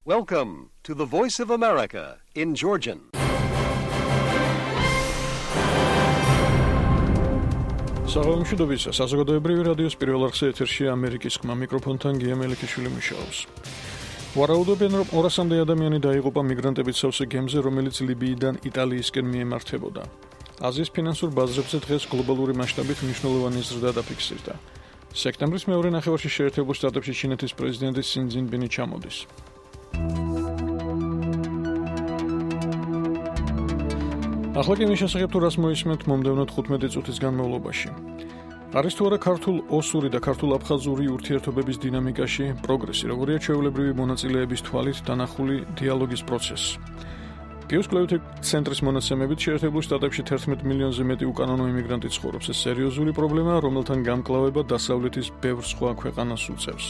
Welcome to the Voice of America in Georgian. საღამოშიდობის საზოგადოებრივი რადიოს პირველ არხზე ეთერშია ამერიკის ხმა მიკროფონთან გია მელიქიშვილი მუშაობს. ვარაუდობენ, რომ 200-მდე ადამიანი დაიღუპა მიგრანტებით სავსე გემზე, რომელიც ლიბიიდან იტალიისკენ მიემართებოდა. აზიის ფინანსურ ბაზრებზე დღეს გლობალური მასშტაბით მნიშვნელოვანი ზრდა დაფიქსირდა. სექტემბრის მეორე ნახევარში შეერთებულ შტატებში ჩინეთის პრეზიდენტი სინ ძინპინი ჩამოდის. ახლა კი მის შესახებ თუ რას მოისმენთ მომდევნო 15 წუთის განმავლობაში. არის თუ არა ქართულ ოსური და ქართულ აფხაზური ურთიერთობების დინამიკაში პროგრესი, როგორია ჩვეულებრივი მონაწილეების თვალით დანახული დიალოგის პროცესი. პიუს კვლევითი ცენტრის მონაცემებით შეერთებულ შტატებში 11 მილიონზე მეტი უკანონო იმიგრანტი ცხოვრობს. ეს სერიოზული პრობლემაა, რომელთან გამკლავება დასავლეთის ბევრ სხვა ქვეყანას უწევს.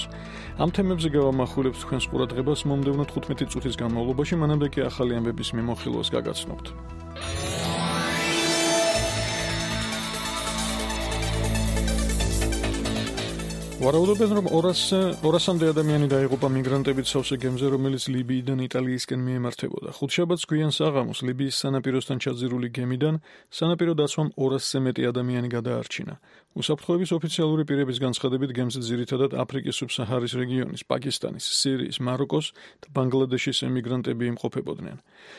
ამ თემებზე გავამახვილებთ თქვენს ყურადღებას მომდევნო 15 წუთის განმავლობაში, მანამდე კი ახალი ამბების მიმოხილვას გაგაცნობთ. ვარაუდობენ, რომ 200-მდე ადამიანი დაიღუპა მიგრანტებით სავსე გემზე, რომელიც ლიბიიდან იტალიისკენ მიემართებოდა. ხუთშაბათს გვიან საღამოს ლიბიის სანაპიროსთან ჩაძირული გემიდან სანაპირო დაცვამ 200-ზე მეტი ადამიანი გადაარჩინა. უსაფრთხოების ოფიციალური პირების განცხადებით, გემზე ძირითადად აფრიკის სუბსაჰარის რეგიონის, პაკისტანის, სირიის, მაროკოს და ბანგლადეშის ემიგრანტები იმყოფებოდნენ.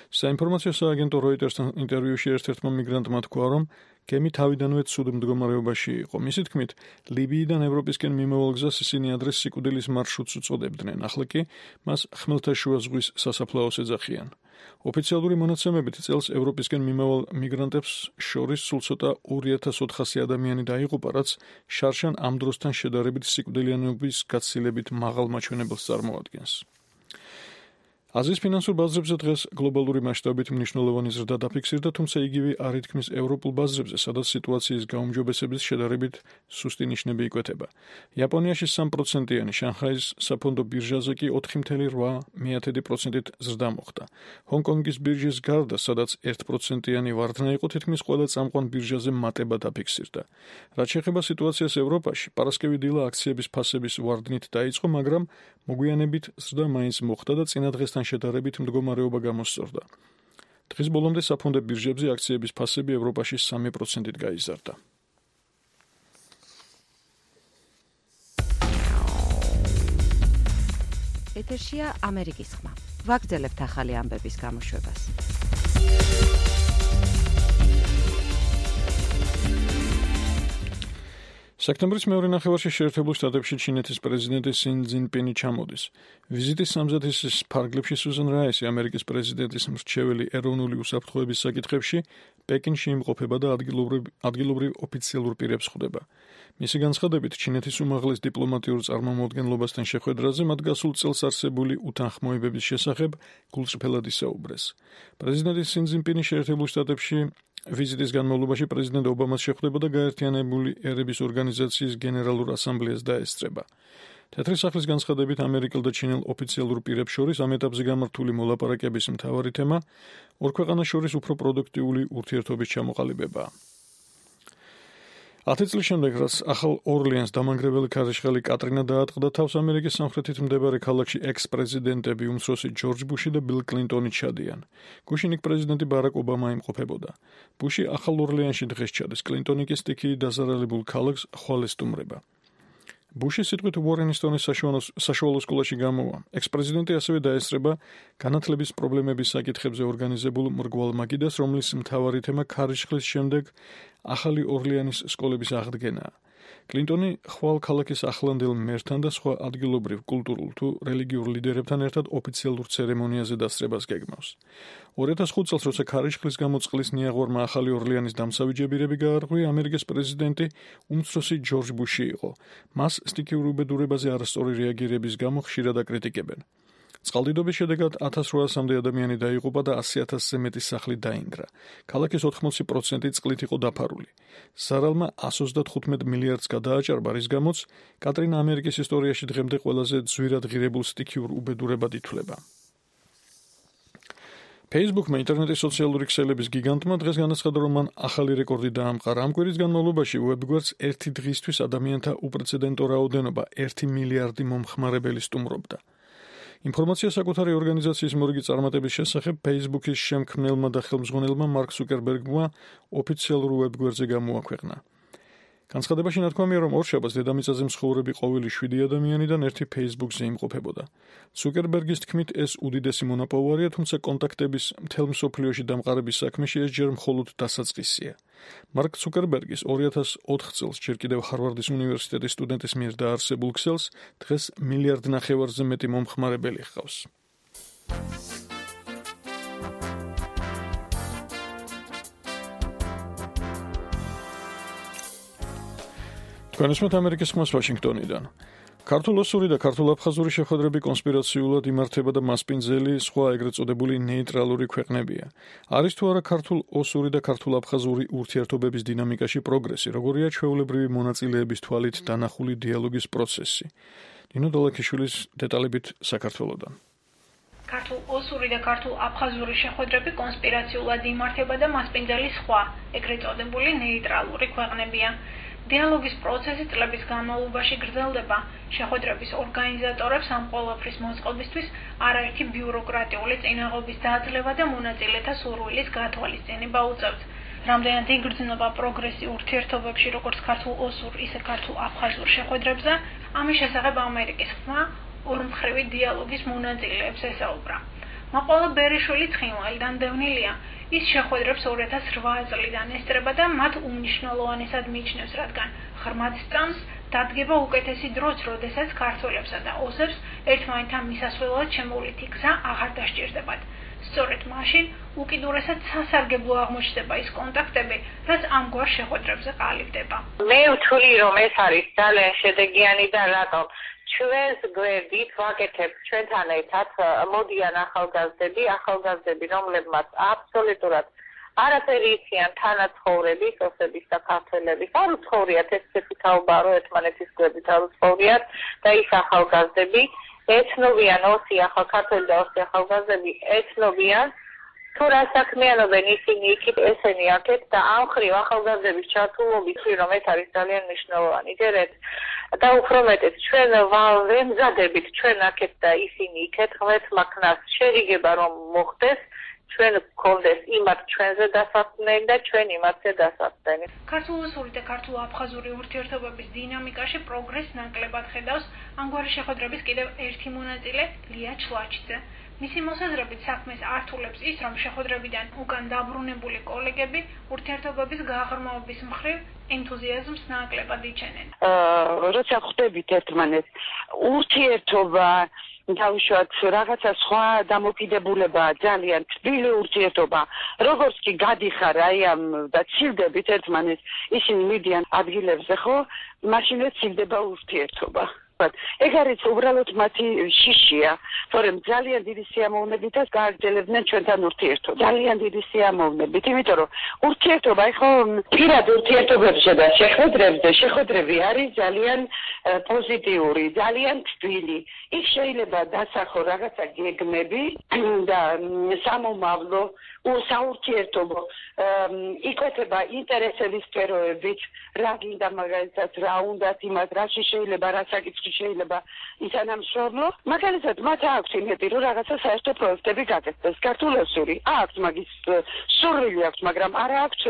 საინფორმაციო სააგენტო როიტერსთან ინტერვიუში ერთ-ერთმა მიგრანტმა თქვა, რომ გემი თავიდანვე ცუდ მდგომარეობაში იყო. მისი თქმით, ლიბიიდან ევროპისკენ მიმავალ გზას ისინი ადრე სიკვდილის მარშრუტს უწოდებდნენ, ახლა კი მას ხმელთაშუა ზღვის სასაფლაოს ეძახიან. ოფიციალური მონაცემებით წელს ევროპისკენ მიმავალ მიგრანტებს შორის სულ ცოტა 2400 ადამიანი დაიღუპა, რაც შარშან ამ დროსთან შედარებით სიკვდილიანობის გაცილებით მაღალ მაჩვენებელს წარმოადგენს. აზიის ფინანსურ ბაზრებზე დღეს გლობალური მასშტაბით მნიშვნელოვანი ზრდა დაფიქსირდა, თუმცა იგივე არ ითქმის ევროპულ ბაზრებზე, სადაც სიტუაციის გაუმჯობესების შედარებით სუსტი ნიშნები იკვეთება. იაპონიაში 3%-იანი, შანხაის საფონდო ბირჟაზე კი 4,8%-ით ზრდა მოხდა. ჰონკონგის ბირჟის გარდა, სადაც 1%-იანი ვარდნა იყო, თითქმის ყველა წამყვან ბირჟაზე მატება დაფიქსირდა. რაც შეეხება სიტუაციას ევროპაში, პარასკევი დილა აქციების ფასების ვარდნით დაიწყო, მაგრამ მოგვიანებით ზრდა მაინც მოხდა და წინა დღესთან შედარებით მდგომარეობა გამოსწორდა. დღის ბოლომდე საფონდო ბირჟებზე აქციების ფასები ევროპაში 3%-ით გაიზარდა. ეთერშია ამერიკის ხმა. ვაგრძელებთ ახალი ამბების გამოშვებას. სექტემბრის მეორე ნახევარში შეერთებულ შტატებში ჩინეთის პრეზიდენტი სინ ძინპინი ჩამოდის. ვიზიტის სამზადისის ფარგლებში სუზან რაისი, ამერიკის პრეზიდენტის მრჩეველი ეროვნული უსაფრთხოების საკითხებში, პეკინში იმყოფება და ადგილობრივ ოფიციალურ პირებს ხვდება. მისი განცხადებით, ჩინეთის უმაღლეს დიპლომატიურ წარმომადგენლობასთან შეხვედრაზე მათ გასულ წელს არსებული უთანხმოებების შესახებ გულწრფელად ისაუბრეს. პრეზიდენტი სინ ძინპინი შეერთებულ შტატებში ვიზიტის განმავლობაში პრეზიდენტ ობამას შეხვდება და გაერთიანებული ერების ორგანიზაციის გენერალურ ასამბლეას დაესწრება. თეთრი სახლის განცხადებით, ამერიკელ და ჩინელ ოფიციალურ პირებს შორის ამ ეტაპზე გამართული მოლაპარაკების მთავარი თემა ორ ქვეყანას შორის უფრო პროდუქტიული ურთიერთობის ჩამოყალიბებაა. 10 წლის შემდეგ, რაც ახალ ორლიანს დამანგრეველი ქარიშხალი კატრინა დაატყდა თავს, ამერიკის სამხრეთით მდებარე ქალაქში ექს-პრეზიდენტები უმცროსი ჯორჯ ბუში და ბილ კლინტონი ჩადიან. გუშინ იქ პრეზიდენტი ბარაკ ობამა იმყოფებოდა. ბუში ახალ ორლიანში დღეს ჩადის, კლინტონი კი სტიქიით დაზარალებულ ქალაქს ხვალ ესტუმრება. ბუში სიტყვით უორენისტონის საშუალო სკოლაში გამოვა. ექს-პრეზიდენტი ასევე დაესწრება განათლების პრობლემების საკითხებზე ორგანიზებულ მრგვალ მაგიდას, რომლის მთავარი თემა ქარიშხლის შემდეგ ახალი ორლიანის სკოლების აღდგენაა. კლინტონი ხვალ ქალაქის ახლანდელ მერთან და სხვა ადგილობრივ კულტურულ თუ რელიგიურ ლიდერებთან ერთად ოფიციალურ ცერემონიაზე დასწრებას გეგმავს. 2005 წელს, როცა ქარიშხლის გამო წყლის ნიაღვარმა ახალი ორლიანის დამცავი ჯებირები გაარღვია, ამერიკის პრეზიდენტი უმცროსი ჯორჯ ბუში იყო. მას სტიქიურ უბედურებაზე არასწორი რეაგირების გამო ხშირად აკრიტიკებენ. წყალდიდობის შედეგად 1800-მდე ადამიანი დაიღუპა და 100,000-ზე მეტი სახლი დაინგრა. ქალაქის 80% წყლით იყო დაფარული. ზარალმა 135 მილიარდს გადააჭარბა, რის გამოც კატრინა ამერიკის ისტორიაში დღემდე ყველაზე ძვირად ღირებულ სტიქიურ უბედურებად ითვლება. Facebook-მა ინტერნეტის სოციალური ქსელების გიგანტმა დღეს განაცხადა, რომ მან ახალი რეკორდი დაამყარა. ამ კვირის განმავლობაში ვებგვერდს ერთი დღისთვის ადამიანთა უპრეცედენტო რაოდენობა 1 მილიარდი მომხმარებელი სტუმრობდა. ინფორმაცია საკუთარი ორგანიზაციის მორიგი წარმატების შესახებ Facebook-ის შემქმნელმა და ხელმძღვანელმა მარკ ზუკერბერგმა ოფიციალურ ვებგვერდზე გამოაქვეყნა. განცხადებაში ნათქვამია, რომ ორშაბათს დედამიწაზე მსხოვრები ყოველი 7 ადამიანიდან ერთი Facebook-ზე იმყოფებოდა. ზუკერბერგის თქმით, ეს უდიდესი მონაპოვარია, თუმცა კონტაქტების მთელ მსოფლიოში დამყარების საქმეში ეს ჯერ მხოლოდ დასაწყისია. მარკ ზუკერბერგის 2004 წელს ჯერ კიდევ ჰარვარდის უნივერსიტეტის სტუდენტის მიერ დაარსებულ ქსელს დღეს 1,5 მილიარდზე მეტი მომხმარებელი ჰყავს. განსმით ამერიკის ხმას ვაშინგტონიდან. ქართულ-ოსური და ქართულ-აფხაზური შეხვედრები კონსპირაციულად იმართება და მასპინძელი სხვა ეგრეთ წოდებული ნეიტრალური ქვეყნებია. არის თუ არა ქართულ-ოსური და ქართულ-აფხაზური ურთიერთობების დინამიკაში პროგრესი, როგორია ჩვეულებრივი მონაწილეების თვალით დანახული დიალოგის პროცესი. ნინო დოლაქიშვილის დეტალებით საქართველოდან. ქართულ-ოსური და ქართულ-აფხაზური შეხვედრები კონსპირაციულად იმართება და მასპინძელი სხვა ეგრეთ წოდებული ნეიტრალური ქვეყნებია. დიალოგის პროცესი წლების განმავლობაში გრძელდება. შეხვედრების ორგანიზატორებს ამ ყველაფრის მოწყობისთვის არაერთი ბიუროკრატიული წინაღობის დაძლევა და მონაწილეთა სურვილის გათვალისწინება უწევთ. რამდენად იგრძნობა პროგრესი ურთიერთობებში როგორც ქართულ-ოსურ, ისე ქართულ-აფხაზურ შეხვედრებზე, ამის შესახებ ამერიკის ხმა ორმხრივი დიალოგის მონაწილეებს ესაუბრა. მაყოლა ბერიშვილი ცხინვალიდან დევნილია. ის შეხვედრებს 2008 წლიდან ესწრება და მათ უმნიშვნელოვანესად მიიჩნევს, რადგან ღრმად სწამს დადგება უკეთესი დროც, როდესაც ქართველებსა და ოსებს ერთმანეთთან მისასვლელად შემოვლითი გზა აღარ დასჭირდებათ. სწორედ მაშინ უკიდურესად სასარგებლო აღმოჩნდება ის კონტაქტები, რაც ამგვარ შეხვედრებზე ყალიბდება. მე ვთვლი, რომ ეს არის ძალიან შედეგიანი და რატომ ჩვენს გვერდით ვაკეთებ ჩვენთან ერთად მოდიან ახალგაზრდები, რომლებმაც აბსოლუტურად არაფერი იციან თანაცხოვრების, ოსების და ქართველების. არ უცხოვრიათ ესეთი თაობა, რომ ერთმანეთის გვერდით არ უცხოვრიათ და ის ახალგაზრდები ეცნობიან, ოსი ქართველი და ოსი ახალგაზრდები ეცნობიან, თუ რა საქმიანობენ ისინი იქით ესენი აქეთ და ამ ხრივ ახალგაზრდების ჩართულობით, რომ ეს არის ძალიან მნიშვნელოვანი. ჯერეთ და უფრო მეტად ჩვენ ვემზადებით ჩვენ აქეთ და ისინი იქეთ ღმერთმა ქნას შერიგება რომ მოხდეს, ჩვენ გქონდეს იმათ ჩვენზე დასაქმნელი და ჩვენ იმათზე დასაქმნელი. ქართულ-ოსური და ქართულ-აფხაზური ურთიერთობების დინამიკაში პროგრესს ნაკლებად ხედავს ამგვარი შეხვედრების კიდევ ერთი მონაწილე ლია ჩლაჩიძე. მისი მოსაზრებით საქმეს ართულებს ის, რომ შეხვედრებიდან უკან დაბრუნებული კოლეგები ურთიერთობების გაღრმავების მხრივ ენთუზიაზმს ნაკლებად იჩენენ. როცა ხვდებით ერთმანეთს, ურთიერთობა დავუშვათ რაღაცა სხვა დამოკიდებულება, ძალიან თბილი ურთიერთობა. როგორც კი გადიხარ აი ამ და ცილდებით ერთმანეთს, ისინი მიდიან ადგილებზე, ხო? მაშინაც ცილდება ურთიერთობა. ეგ არის უბრალოდ მათი შიშია, თორემ ძალიან დიდი სიამოვნებითაც გააგრძელებდნენ ჩვენთან ურთიერთობას. ძალიან დიდი სიამოვნებით, იმიტომ რომ ურთიერთობა, ხო, პირად ურთიერთობებზე და შეხვედრები არის ძალიან პოზიტიური, ძალიან თბილი. იქ შეიძლება დასახო რაღაცა გეგმები და სამომავლო საურთიერთობო იკვეთება ინტერესების სფეროებით, რა გინდა მაგალითად, რა უნდათ იმას, რაში შეიძლება, რა საკითხი შეიძლება ითანამშრომლო. მაგალითად, მათ აქვს იმედი, რომ რაღაცა საერთო პროექტები გაკეთდეს. ქართულ-ოსური აქვს მაგის სურვილი აქვს, მაგრამ არ აქვს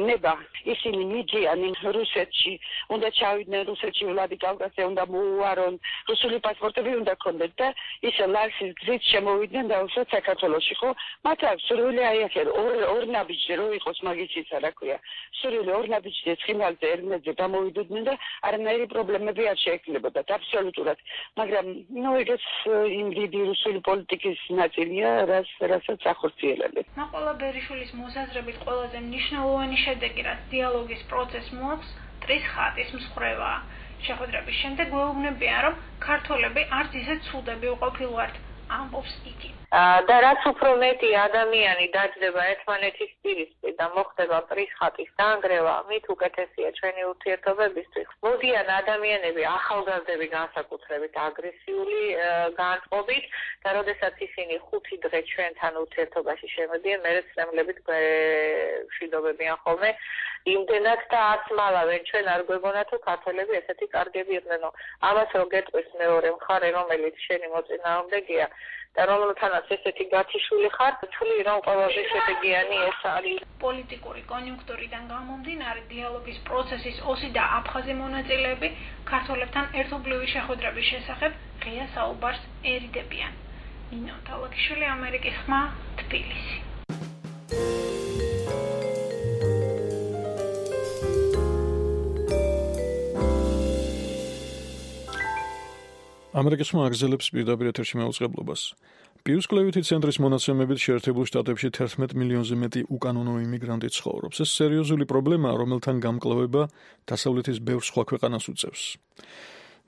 ნება. ისინი მიდიან რუსეთში, უნდა ჩავიდნენ რუსეთში, ვლადიკავკაზზე უნდა მოუვარონ, რუსული პასპორტები უნდა ქონდეთ და ის ლარსის გზით შემოვიდნენ დაუშვათ საქართველოში, ხო? მათ აქვს სურვილი აი ახლა ორ ნაბიჯზე რო იყოს მაგის რა ქვია. სურვილი ორ ნაბიჯზე ცხინვალზე ერმედზე გამოვიდოდნენ და არანაირი პრობლემები არ შეექნებოდათ აბსოლუტურად. მაგრამ ეგეც იმ დიდი რუსული პოლიტიკის ნაწილია, რასაც ახორციელებენ. მაყოლა ბერიშვილის მოსაზრებით ყველაზე მნიშვნელოვანი შედეგი, რაც დიალოგის პროცესს მოაქვს, ტრის ხატის მსხრევაა. შეხვედრების შემდეგ გვეუბნებიან, რომ ქართველები არც ისე ცუდები უყოფილვართ. ამბობს იგი. და რაც უფრო მეტი ადამიანი დაჯდება ერთმანეთის პირისპირ და მოხდება პრისხატის დანგრევა, მით უკეთესია ჩვენი ურთიერთობებისთვის. მოდიან ადამიანები ახალგაზრდები განსაკუთრებით აგრესიული განწყობით და როდესაც ისინი 5 დღე ჩვენთან ურთიერთობაში შემოდიან, მერე ცრემლებით მშვიდობებიან ხოლმე. იმდენად და არც მალავენ ჩვენ არ გვეგონა თუ ქართველები ესეთი კარგები იყვნენ. ამას რო გეტყვის მეორე მხარე, რომელიც შენი მოწინააღმდეგეა და რომელთანაც ესეთი გათიშული ხარ, თვლი რომ ყველაზე შედეგიანი ეს არის. პოლიტიკური კონიუნქტურიდან გამომდინარე დიალოგის პროცესის ოსი და აფხაზი მონაწილეები ქართველებთან ერთობლივი შეხვედრების შესახებ ღია საუბარს ერიდებიან. ნინო თალაკიშვილი, ამერიკის ხმა, თბილისი. ამერიკის ხმა აგრძელებს პირდაპირ ეთერში მაუწყებლობას. პიუსკლევითი ცენტრის მონაცემებით შეერთებულ შტატებში 11 მილიონზე მეტი უკანონო იმიგრანტი ცხოვრობს. ეს სერიოზული პრობლემაა, რომელთან გამკლავება დასავლეთის ბევრ სხვა ქვეყანას უწევს.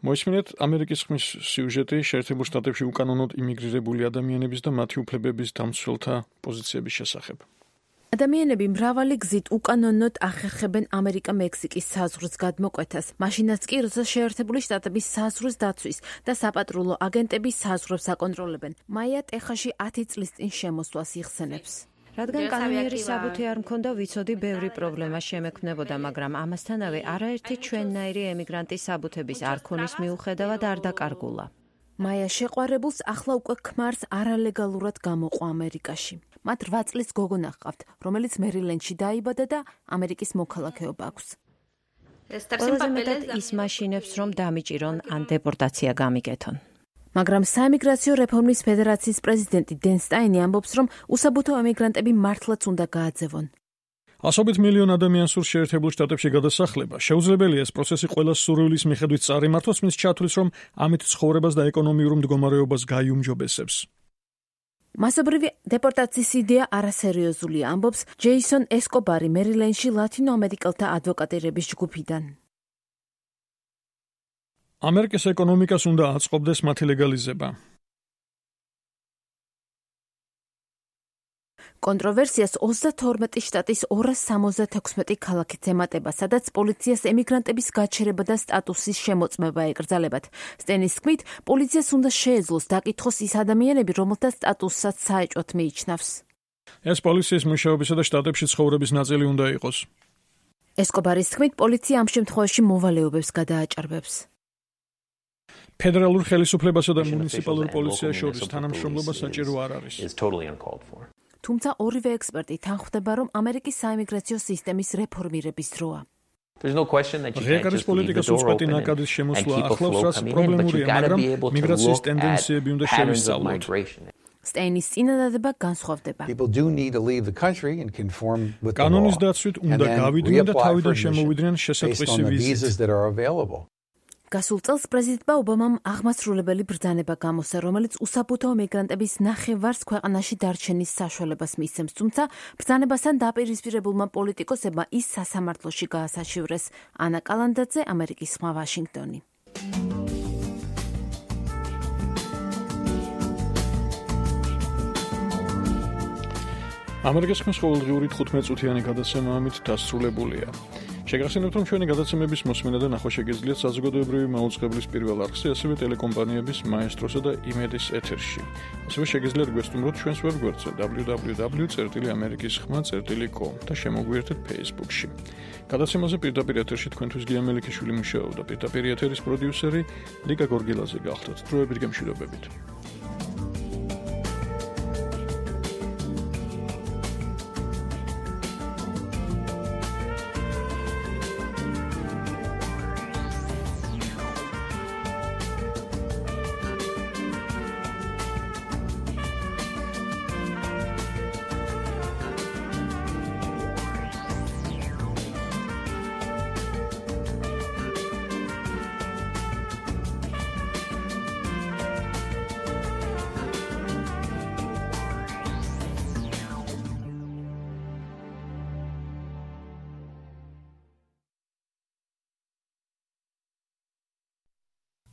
მოისმინეთ ამერიკის ხმის სიუჟეტი შეერთებულ შტატებში უკანონოდ იმიგრირებული ადამიანების და მათი უფლებების დამცველთა პოზიციების შესახებ. ადამიანები მრავალი გზით უკანონოდ ახერხებენ ამერიკა-მექსიკის საზღვრს გადმოკვეთას, მაშინაც კი, როცა შეერთებული შტატების საზღვრის დაცვის და საპატრულო აგენტები საზღვრებს აკონტროლებენ. მაია ტეხასში 10 წლის წინ შემოსვლას იხსენებს. რადგან კანონიერი საბუთი არ მქონდა, ვიცოდი ბევრი პრობლემა შემექმნებოდა, მაგრამ ამასთანავე არაერთი ჩვენნაირი ემიგრანტის საბუთების არ ქონის მიუხედავად არ დაკარგულა. მაია შეყვარებულს ახლა უკვე ქმარს არალეგალურად გამოყვა ამერიკაში. მათ 8 წლის გოგონა ჰყავთ, რომელიც მერილენდში დაიბადა და ამერიკის მოქალაქეობა აქვს. ყველაზე მეტად ის მაშინებს, რომ დამიჭირონ ან დეპორტაცია გამიგეთონ. მაგრამ საემიგრაციო რეფორმის ფედერაციის პრეზიდენტი დენ სტაინი ამბობს, რომ უსაბუთო ემიგრანტები მართლაც უნდა გააძევონ. ასობით მილიონ ადამიანს სურს შეერთებულ შტატებში გადასახლება. შეუძლებელია ეს პროცესი ყველას სურვილის მიხედვით წარიმართოს, მის ჩათვლის, რომ ამით ცხოვრებას და ეკონომიურ მდგომარეობას გაიუმჯობესებს. მასობრივი დეპორტაციის იდეა არასერიოზულია, ამბობს ჯეისონ ესკობარი მერილენდში ლათინო ამერიკელთა ადვოკატირების ჯგუფიდან. ამერიკის ეკონომიკას უნდა აწყობდეს მათი ლეგალიზება. კონტროვერსიას 32 შტატის 276 ქალაქით ემატება, სადაც პოლიციას ემიგრანტების გაჩერება და სტატუსის შემოწმება ეკრძალებათ. სტენის თქმით, პოლიციას უნდა შეეძლოს დაკითხოს ის ადამიანები, რომელთა სტატუსსაც საეჭვოდ მიიჩნევს. ეს პოლიციის მუშაობისა და შტატებში ცხოვრების ნაწილი უნდა იყოს. ესკობარის თქმით, პოლიცია ამ შემთხვევაში მოვალეობებს გადააჭარბებს. ფედერალურ ხელისუფლებასა და მუნიციპალურ პოლიციას შორის თანამშრომლობა საჭირო არ არის. თუმცა ორივე ექსპერტი თანხმდება, რომ ამერიკის საემიგრაციო სისტემის რეფორმირების დროა. ღიაკარის პოლიტიკას უწყვეტი ნაკადის შემოსვლა ახლავს, რაც პრობლემურია, მაგრამ მიგრაციის ტენდენციები უნდა შევისწავლოთ. სტეინის წინადადება განსხვავდება. კანონის დაცვით უნდა გავიდნენ და თავიდან შემოვიდნენ შესაძლისი ვიზით. გასულ წელს პრეზიდენტმა ობამამ აღმასრულებელი ბრძანება გამოსცა, რომელიც უსაბუთო მიგრანტების ნახევარს ქვეყანაში დარჩენის საშუალებას მისცემს, თუმცა ბრძანებასთან დაპირისპირებულმა პოლიტიკოსებმა ის სასამართლოში გაასაჩივრეს. ანა კალანდაძე, ამერიკის ხმა, ვაშინგტონი. ამერიკის ხმის ყოველდღიური 15 წუთიანი გადაცემა ამით დასრულებულია. შეგახსენებთ, რომ ჩვენი გადაცემების მოსმენა და ნახვა შეგეძლიათ საზოგადოებრივი მაუწყებლის პირველ არხზე, ასევე ტელეკომპანიების მაესტროსა და იმედის ეთერში. ასევე შეგეძლიათ გვესტუმროთ ჩვენს ვებგვერდზე www.amerikiskhma.com და შემოგვიერთეთ Facebook-ში. გადაცემაზე პირდაპირ ეთერში თქვენთვის გია მელიქიშვილი მუშაობდა, პირდაპირ ეთერის პროდიუსერი ლიკა გორგილაძე გახლდათ. დროებით გემშვიდობებით.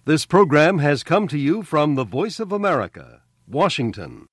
This program has come to you from the Voice of America, Washington.